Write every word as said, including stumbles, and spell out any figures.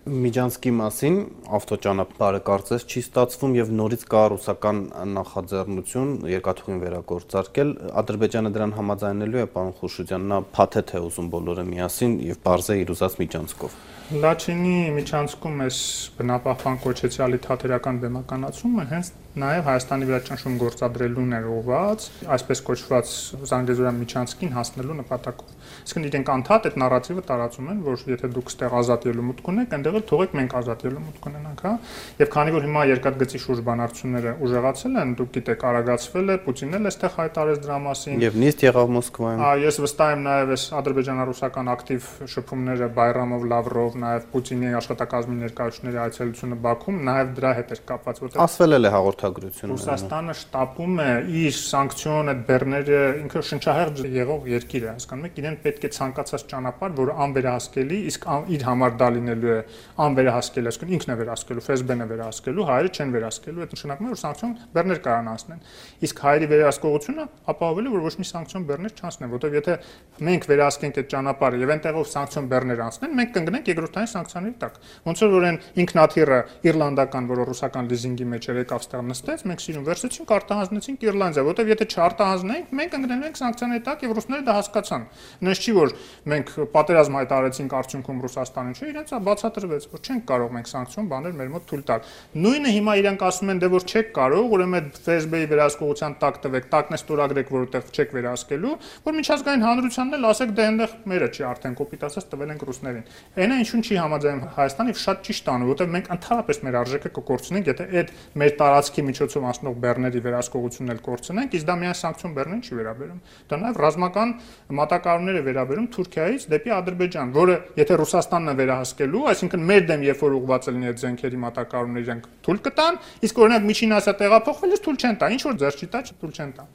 Միջանցքի մասին ավտոճանապարհը կարծես չի ստացվում եւ նորից կա ռուսական նախաձեռնություն երկաթուղին վերագործարկել, Ադրբեջանը դրան համաձայնելու է, պարոն Խուշուձյան, նա փաթեթ է ուզում բոլորը միասին եւ բարձ է իր ուզած միջանցքով։ Լաչինի միջանցքում այս բնապահպան կոչեցյալի թատերական բեմականացումը հենց նաև Հայաստանի վրա ճնշում գործադրելուն էր ուղղված, այսպես կոչված Զանգեզուրյան միջանցքին հասնելու նպատակով։ Իսկ իրենք անդադ այդ նարատիվը տարածում են, որ եթե դուք ստեղ ազատ ելումուտ ունեք, այնտեղ էլ թողեք մենք ազատ ելումուտ ունենանք, հա։ Եվ քանի որ հիմա երկաթգծի շուրջ բանակցությունները ուժեղացել են, դուք գիտեք, արագացվել է, Պուտինն էլ այստեղ հայտարարեց դրա մասին։ Եվ նիստ եղավ Մոսկվայում։ Ահա ես վստահ եմ նաև այս ադրբեջանա-ռուսական ակտիվ շփումները Բայրամով, Լավրով, նաև Պուտինի աշխատակազմի ներկայացուցիչների այցելությունը Բաքվում նաև դրա հետ էր կապված, որտեղ ասվել էլ է հաղորդագրությունը։ Ռուսաստանը շտապում է իր սանկցիոն այդ բեռները ինքը շնչահեղձ եղող երկիր է, հասկանում եք, իրեն պետք է ցանկացած ճանապարհ, որը անվերահսկելի, իսկ իր համար դա լինելու է անվերահսկելի, այսինքն ինքն է վերահսկելու, ՖՍԲ-ն է վերահսկելու, հայերը չեն վերահսկելու, այդ նշանակում է, որ սանկցիոն բեռներ կարան անցնեն։ Իսկ հայերի վերահսկողությունը ապահովել է, որ ոչ մի սանկցիոն բեռներ չանցնեն, որովհետև եթե մենք վերահսկենք այդ ճանապարհը եւ այնտեղով սանկցիոն բեռներ անցնեն, մենք կընկնենք երկրորդային սանկցիաների տակ։ Ոնց որ այն ինքնաթիռը իռլանդական, որը ռուսական լիզինգի մեջ էր, եկավ ստեղ նստեց, մենք սիրուն վերցրեցինք, արտահանձնեցինք Իռլանդիա, որովհետև եթե չարտահանձնենք, մենք ընկնելու ենք սանկցիաների տակ եւ ռուսները դա հասկացան։ Նույնիսկ չի որ մենք պատերազմ հայտարարեցինք արդյունքում Ռուսաստանին, չէ, իրենց բացատրվեց, որ չենք կարող մենք սանկցիոն բաներ մեր մոտ թույլ տալ։ Նույնը հիմա իրանք ասում են, դե որ չեք կարող, ուրեմն այդ ՖՍԲ-ի վերահսկողության տակ տվեք, տակն է ստորագրեք, որովհետև չեք վերահսկելու, որ միջազգային հանրությանն էլ ասեք, դե այնտեղ մերը չի, արդեն կոպիտ ասած տվել ենք ռուսներին։ Այնա ինչու՞ չի համաձայնում Հայաստանը եւ շատ ճիշտ անում, որովհետև մենք ընդհանրապես մեր արժեքը կկորցնենք, եթե այդ մեր տարածքի միջոցով անցնող բեռների վերահսկողությունն էլ կորցնենք, իսկ դա միայն սանկցիոն բեռներին չի վերաբերում։ Դա նաև ռազմական մատակարարումներ է վերաբերում Թուրքիայից դեպի Ադրբեջան, որը եթե Ռուսաստանն է վերահսկելու, այսինքն մեր դեմ երբ որ ուղղված լինի այդ զենքերի մատակարարումները իրենք թույլ կտան, իսկ օրինակ Միջին Ասիա տեղափոխվելուց թույլ չեն տա, ինչ որ ձեռք չի տա, թույլ չեն տա։